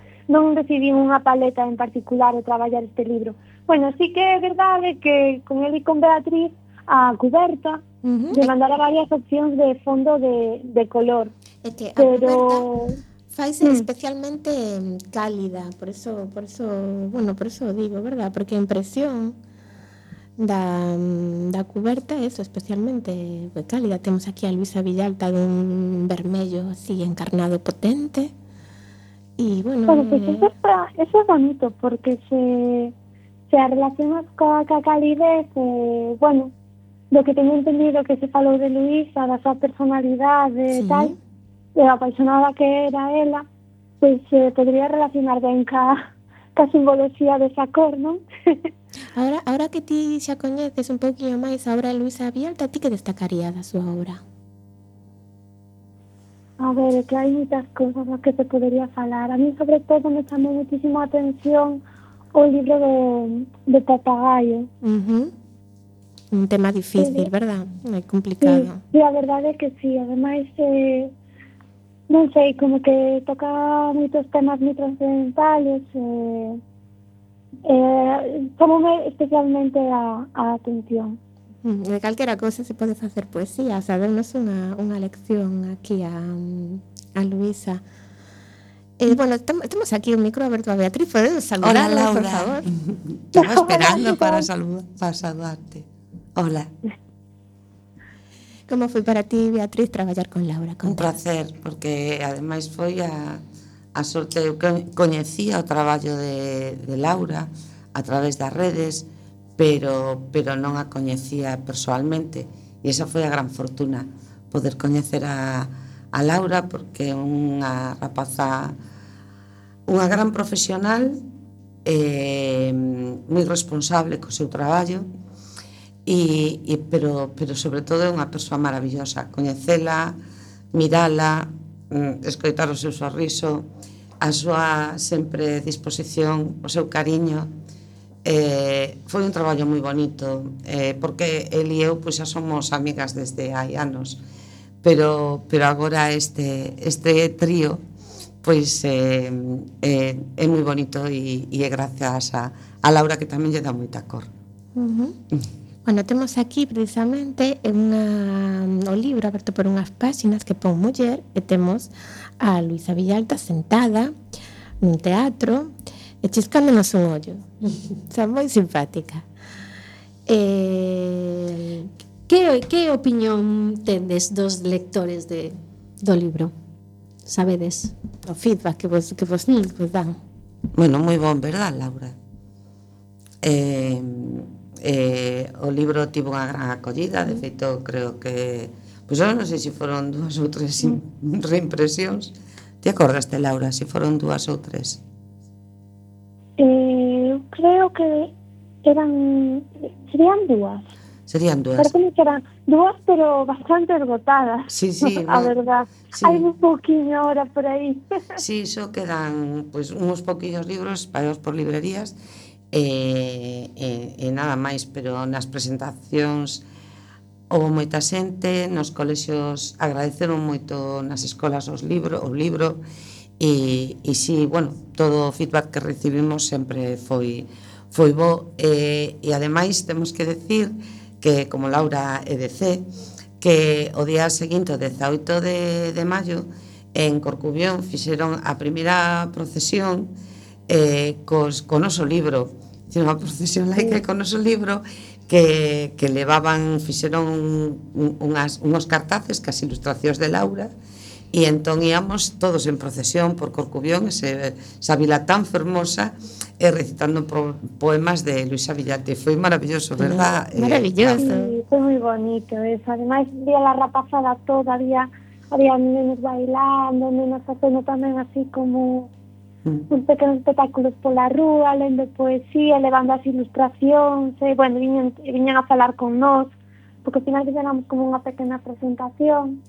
decidí unha paleta en particular de traballar este libro. Bueno, sí que é verdade que con el e con Beatriz a cuberta de mandar a varias opcións de fondo de color. É que a cuberta faise especialmente cálida, por eso digo, verdad? Porque a impresión da cuberta é eso, especialmente cálida. Temos aquí a Luisa Villalta dun vermello así encarnado potente. E bueno, pues eso é bonito, porque se relacionas coa calidez, bueno, do que teño entendido que se falou de Luisa, da súa personalidade e tal, e a apaixonada que era ela, pois podría relacionar ben ca simboloxía desa cor, non? Ahora que ti xa coñeces un pouquinho máis a obra de Luisa Villalta, ti que destacaría da súa obra? A ver, que hai moitas cousas das que te podería falar. A mí, sobre todo, me chamou muitísimo a atención o libro de Papagaio. Un tema difícil, verdad? É complicado. Sí, a verdade é que sí. Ademais, non sei, como que toca moitos temas moi trascendentales, tomoume especialmente a atención. De calquera cosa se pode facer poesía, o sea, darnos unha lección aquí a Luisa. Bueno, temos aquí un micro aberto a Beatriz, podes saludarla, Laura, por favor. Estaba esperando para saludarte. Hola. Como foi para ti, Beatriz, traballar con Laura? Un placer, porque ademais foi a sorte. Eu coñecía o traballo de Laura a través das redes, pero non a coñecía persoalmente, e esa foi a gran fortuna, poder coñecer a Laura, porque é unha rapaza, unha gran profesional, moi responsable co seu traballo, pero sobre todo é unha persoa maravillosa. Coñecela, mirala, escoitar o seu sorriso, a súa sempre disposición, o seu cariño. Foi un traballo moi bonito, porque el e eu pois xa somos amigas desde hai anos, pero agora este trío pois é moi bonito, e é gracias a Laura, que tamén lle dá moita cor. Bueno, temos aquí precisamente o libro aberto por unhas páxinas que pon muller, e temos a Luisa Villalta sentada nun teatro, e chiscándonos un ollo. Xa moi simpática. Que opinión tendes dos lectores do libro? Sabedes? O feedback que vos dan. Bueno, moi bon, verdad, Laura? O libro tivo unha gran acollida, de feito creo que pois eu non sei se foron 2 ou 3 reimpresións. Te acordaste, Laura, se foron 2 ou 3? Creo que serían 2. Serían 2. Parece que eran 2, pero bastante esgotadas. Sí, a verdad. Sí. Hai un poquinho ahora por aí. Sí, iso quedan pois uns poquinhos libros espalhados por librerías e nada máis, pero nas presentacións houve moita xente, nos colexios agradeceron moito nas escolas o libro e si, bueno, todo o feedback que recibimos sempre foi bo e ademais temos que decir que, como Laura é de C, que o día seguinte, o 18 de maio, en Corcubión fixeron a primeira procesión co noso libro, unha procesión laica co noso libro que fixeron unhos cartaces cas ilustracións de Laura e entón íamos todos en procesión por Corcubión, esa vila tan fermosa, recitando poemas de Luisa Villalta. Foi maravilloso, verdad? Maravilloso. Sí, foi moi bonito eso. Ademais, vía la rapazada toda, había nenos bailando, nenos facendo tamén así como uns pequenos espectáculos pola rúa, lendo poesía, levando as ilustracións, bueno, viñan a falar con nós, porque ao final fixéramos como unha pequena presentación.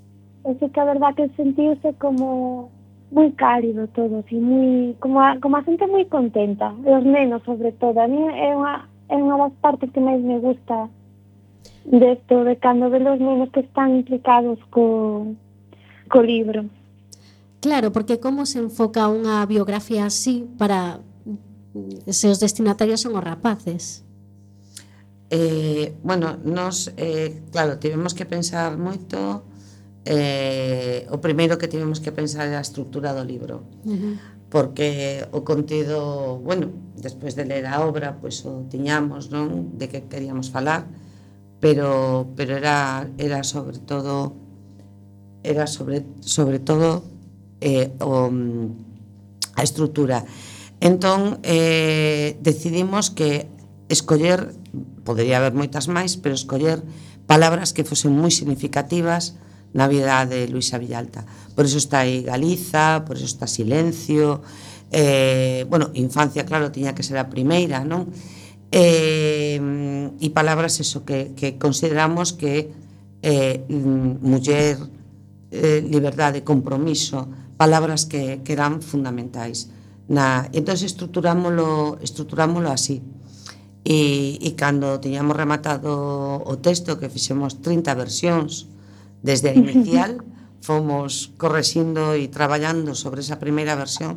E sí que a verdad que sentiuse como moi cálido todo, así, moi, como a xente moi contenta, e os nenos sobre todo. A mí é unha das partes que máis me gusta desto, de cando ve os nenos que están implicados co libro. Claro, porque como se enfoca unha biografía así para se os destinatarios son os rapaces? Bueno, nos, claro, tivemos que pensar moito. O primeiro que tivemos que pensar é a estrutura do libro, porque o contido, bueno, despois de ler a obra, pois o tiñamos, non, de que queríamos falar, pero era sobre todo a estrutura. Entón decidimos que escoller, podería haber moitas máis, pero escoller palabras que fosen moi significativas na vida de Luisa Villalta. Por eso está aí Galiza, por eso está Silencio, bueno, Infancia, claro, tiña que ser a primeira, non? E palabras eso que consideramos que muller, liberdade, compromiso, palabras que eran fundamentais. Entón estruturámolo así. E cando tiñamos rematado o texto, que fixemos 30 versións desde a inicial, fomos correxindo e traballando sobre esa primeira versión,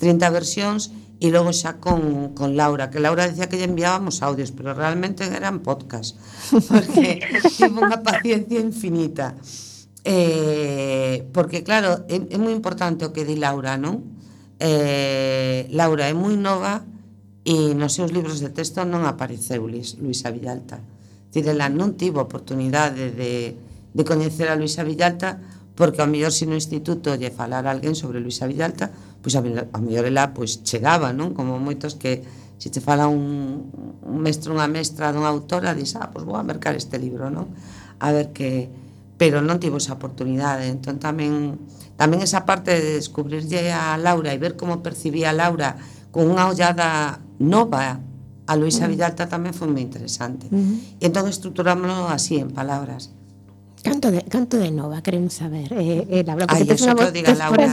30 versións, e logo xa con Laura, que Laura decía que lle enviábamos audios, pero realmente eran podcast, porque tivo unha paciencia infinita. Porque claro, é moi importante o que di Laura, non? Laura é moi nova e nos seus libros de texto non apareceu Luisa Villalta. Ela non tivo oportunidade de coñecer a Luisa Villalta, porque ao mellor se no instituto lle falar a alguén sobre Luisa Villalta, pois ao mellor ela pois chegaba, non? Como moitos que se te fala un mestre, unha mestra dunha autora, dis, pois vou a mercar este libro, non? A ver que... Pero non tivo esa oportunidade. Entón tamén esa parte de descubrirlle a Laura e ver como percibía a Laura con unha ollada nova a Luisa Villalta tamén foi moi interesante. E entón estruturámoslo así, en palabras. Canto de nova, queremos saber, Laura, porque tes unha voz,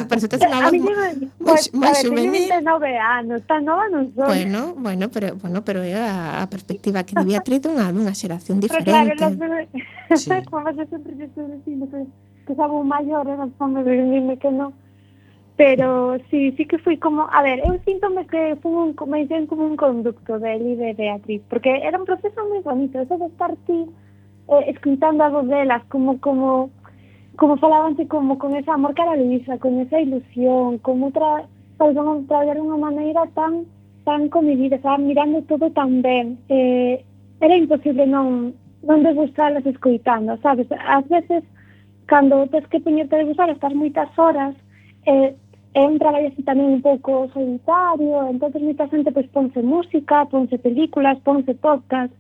por eso tes unha voz moi juvenil. A ver, 9 anos, tan nova non son. Bueno, pero é a perspectiva que di Beatriz dunha xeración diferente. Pero claro, como eu sempre estou dicindo que sabo maior, non me dime que non. Pero sí que fui como, a ver, eu síntome que fui como un conducto de Eli de Beatriz, porque era un proceso moi bonito, eso de estar ti escritando a voz delas, como falabanse como con ese amor cara a Luisa, con esa ilusión, como traballar de unha maneira tan tan comedidas, estaban mirando todo tan ben. Era imposible non degustarlas escoitando, sabes? Ás veces, cando tens que poñerte a degustar, estás moitas horas, é un traballo así tamén un pouco solitario, entonces moita xente pois ponse música, ponse películas, ponse podcast,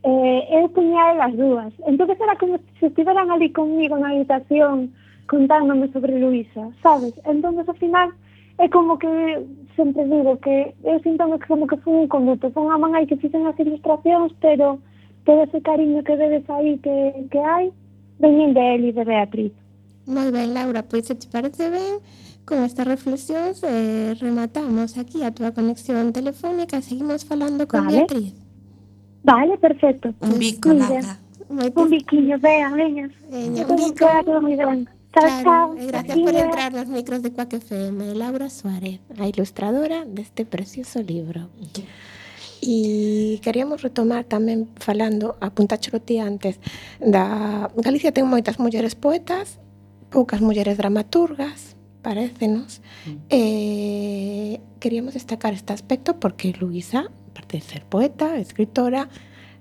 eu puña elas dúas. Entonces era como se estiveran ali conmigo na habitación contándome sobre Luisa, sabes? Entonces ao final é como que sempre digo que eu sinto que como que foi un conduto, foi unha man aí que fixen as ilustracións, pero todo ese cariño que vedes aí que hai, veñen de él e de Beatriz. Moi ben, Laura, pois se te parece ben, con estas reflexións rematamos aquí a túa conexión telefónica e seguimos falando con Beatriz. Vale, perfecto. Un bico, Laura. Un biquiño, veña. Un bico. Moi ben. Claro, gracias por entrar nos micros de Quack FM. Laura Suárez, a ilustradora deste precioso libro. E queríamos retomar tamén falando, apuntáchelo ti antes, da Galicia ten moitas mulleres poetas, poucas mulleres dramaturgas, parécenos. Queríamos destacar este aspecto porque Luisa, aparte de ser poeta, escritora,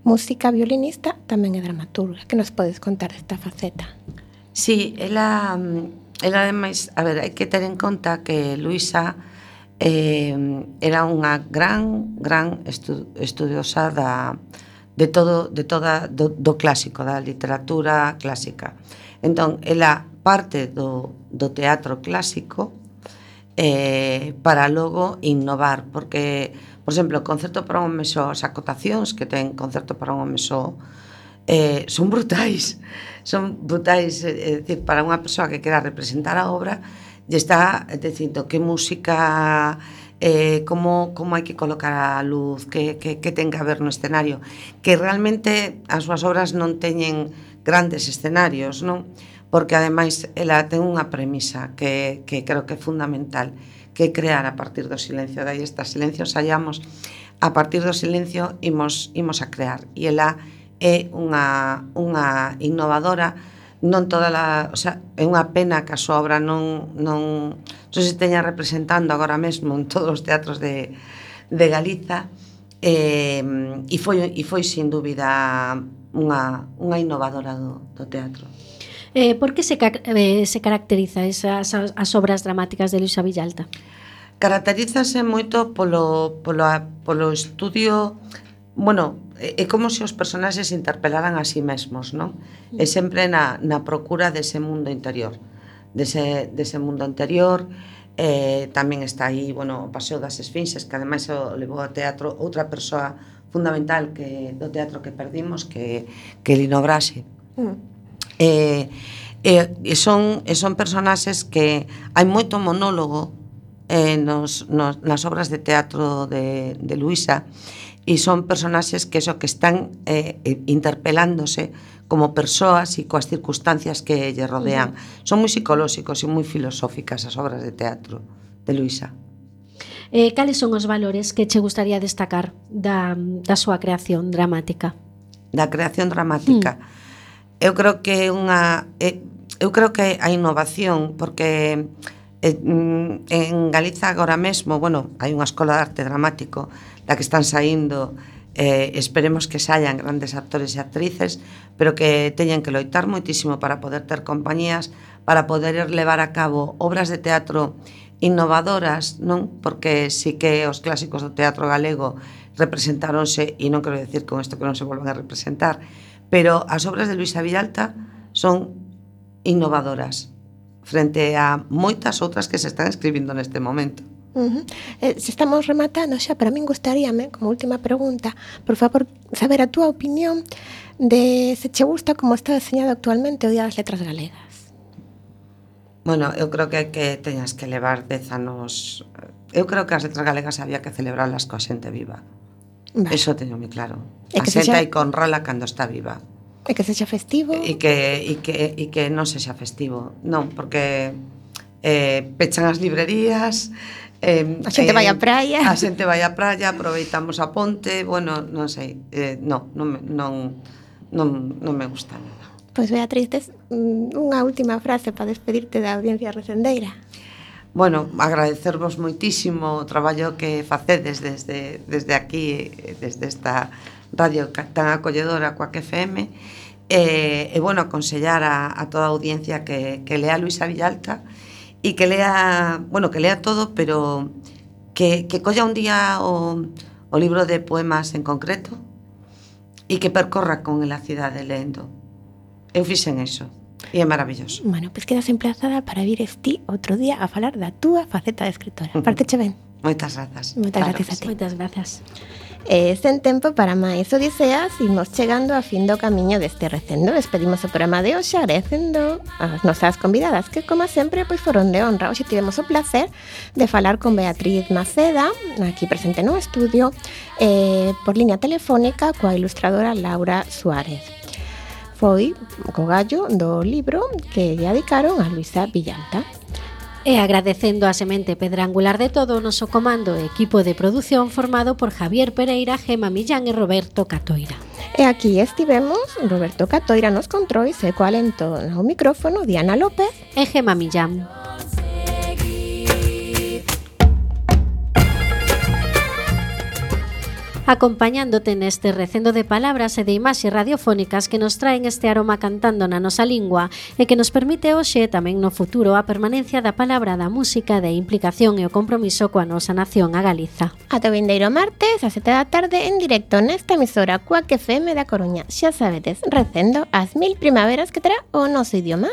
música, violinista, tamén é dramaturga. Que nos podes contar desta faceta? Sí, ela ademais, a ver, hai que ter en conta que Luisa era unha gran estudiosa do clásico, da literatura clásica. Entón, ela parte do teatro clásico para logo innovar, porque, por exemplo, o concerto para un home só, as acotacións que ten concerto para un home só, son brutais, é dicir, para unha persoa que quera representar a obra, lle está dicindo que música, como hai que colocar a luz, que ten que haber no escenario, que realmente as súas obras non teñen grandes escenarios, non? Porque ademais ela ten unha premisa que creo que é fundamental, que é crear a partir do silencio. Dai estes silencios hallamos, a partir do silencio imos a crear, e ela é unha innovadora. Non toda o sea, é unha pena que a súa obra non se esteña representando agora mesmo en todos os teatros de Galiza, e foi sin dúbida unha innovadora do teatro. Por que se caracteriza as obras dramáticas de Luisa Villalta? Caracterízase moito polo estudio. Bueno, é como se os personaxes se interpelaran a sí mesmos, non? É sempre na procura dese mundo interior, dese mundo interior. Tamén está aí, bueno, o Paseo das Esfinxes, que ademais o levou ao teatro outra persoa fundamental do teatro que perdimos, que é Lino Grassi. Son personaxes que hai moito monólogo nas obras de teatro de Luisa, e son personaxes que están interpelándose como persoas e coas circunstancias que lle rodean. Son moi psicolóxicos e moi filosóficas as obras de teatro de Luisa. Cales son os valores que che gustaría destacar da súa creación dramática? Da creación dramática. Eu creo que a innovación, porque en Galiza agora mesmo, bueno, hai unha escola de arte dramático da que están saindo, esperemos que saian grandes actores e actrices, pero que teñen que loitar moitísimo para poder ter compañías, para poder levar a cabo obras de teatro innovadoras, non? Porque sí que os clásicos do teatro galego representáronse, e non quero decir con isto que non se volvan a representar, pero as obras de Luisa Villalta son innovadoras frente a moitas outras que se están escribindo neste momento. Se estamos rematando xa, pero a min gustaríame, como última pregunta, por favor, saber a túa opinión de se che gusta como está deseñado actualmente o Día das Letras Galegas. Bueno, eu creo que teñas que levar 10 anos. Eu creo que as letras galegas había que celebrarlas coa xente viva. Vale. Eso teño moi claro. A xente hai que honrala cando está viva. E que sexa festivo. E que non sexa festivo. Non, porque pechan as librerías, a xente vai á praia. A xente vai á praia, aproveitamos a ponte, bueno, non sei, non me gusta nada. Pois Beatriz, tes unha última frase para despedirte da audiencia recendeira. bueno, agradecervos moitísimo o traballo que facedes desde aquí, desde esta radio tan acolledora coa FM, e bueno, aconsellar a toda a audiencia que lea Luisa Villalta e que lea, bueno, que lea todo, pero que colla un día o libro de poemas en concreto e que percorra con a cidade lendo. Eu fixen eso. E é maravilloso. Bueno, pois quedas emplazada para vires ti outro día a falar da túa faceta de escritora. Parteche ben? Moitas grazas. Moitas gracias a ti. Moitas gracias. Sen tempo para máis odiseas, imos chegando a fin do camiño deste recendo. Despedimos o programa de hoxe agradecendo as nosas convidadas, que como sempre pois foron de honra. Hoxe tivemos o placer de falar con Beatriz Maceda, aquí presente no estudio, por liña telefónica coa ilustradora Laura Suárez. Foi co gallo do libro que lle dedicaron a Luisa Villalta. E agradecendo a semente pedra angular de todo o noso comando e equipo de produción formado por Javier Pereira, Gema Millán e Roberto Catoira. E aquí estivemos Roberto Catoira nos controis e coa alento no micrófono Diana López e Gema Millán. Acompañándote neste recendo de palabras e de imaxes radiofónicas que nos traen este aroma cantando na nosa lingua e que nos permite hoxe tamén no futuro a permanencia da palabra, da música, da implicación e o compromiso coa nosa nación, a Galiza. Ata o vindeiro martes, a 7 da tarde, en directo nesta emisora Cuac FM da Coruña. Xa sabedes, recendo as 1000 primaveras que terá o noso idioma.